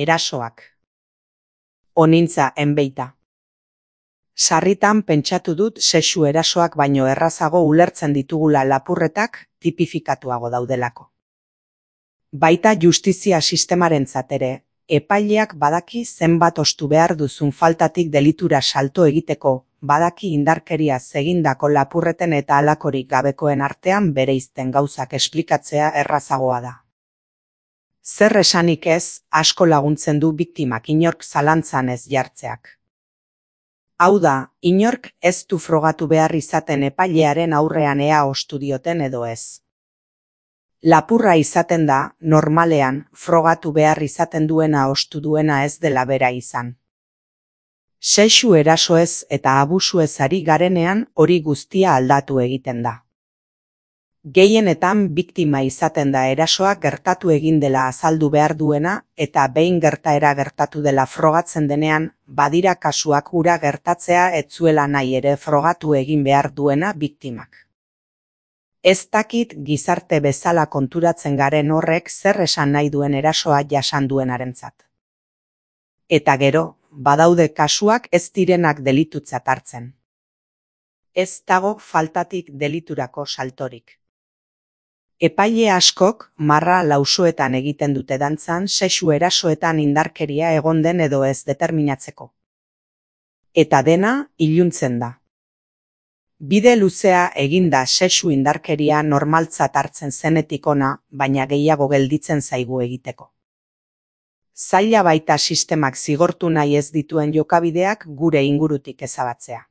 Erasoak. Onintza enbeita. Sarritan pentsatu dut sexu erasoak baino errazago ulertzen ditugula lapurretak tipifikatuago daudelako. Baita justizia sistemarentzat ere, epaileak badaki zenbat ostu behar duzun faltatik delitura salto egiteko, badaki indarkeriaz egindako lapurreten eta halakorik gabekoen artean bereizten gauzak esplikatzea errazagoa da. Zer esanik ez, asko laguntzen du biktimak inork zalantzan ez jartzeak. Hau da, inork ez du frogatu behar izaten epailearen aurrean ea ostu dioten edo ez. Lapurra izaten da, normalean, frogatu behar izaten duena ostu duena ez dela bera izan. Sexu erasoez eta abusuez ari garenean hori guztia aldatu egiten da. Gehienetan biktima izaten da erasoak gertatu egin dela azaldu behar duena eta behin gertaera gertatu dela frogatzen denean, badira kasuak hura gertatzea ez zuela nahi ere frogatu egin behar duena biktimak. Ez dakit gizarte bezala konturatzen garen horrek zer esan nahi duen erasoa jasan duenarentzat. Eta gero, badaude kasuak ez direnak delitutzat hartzen. Ez dago faltatik deliturako saltorik. Epaile askok marra lausoetan egiten dute dantzan sexu erasoetan indarkeria egon den edo ez determinatzeko. Eta dena iluntzen da. Bide luzea eginda sexu indarkeria normaltzat hartzen zenetik ona, baina gehiago gelditzen zaigu egiteko. Zaila baita sistemak zigortu nahi ez dituen jokabideak gure ingurutik ezabatzea.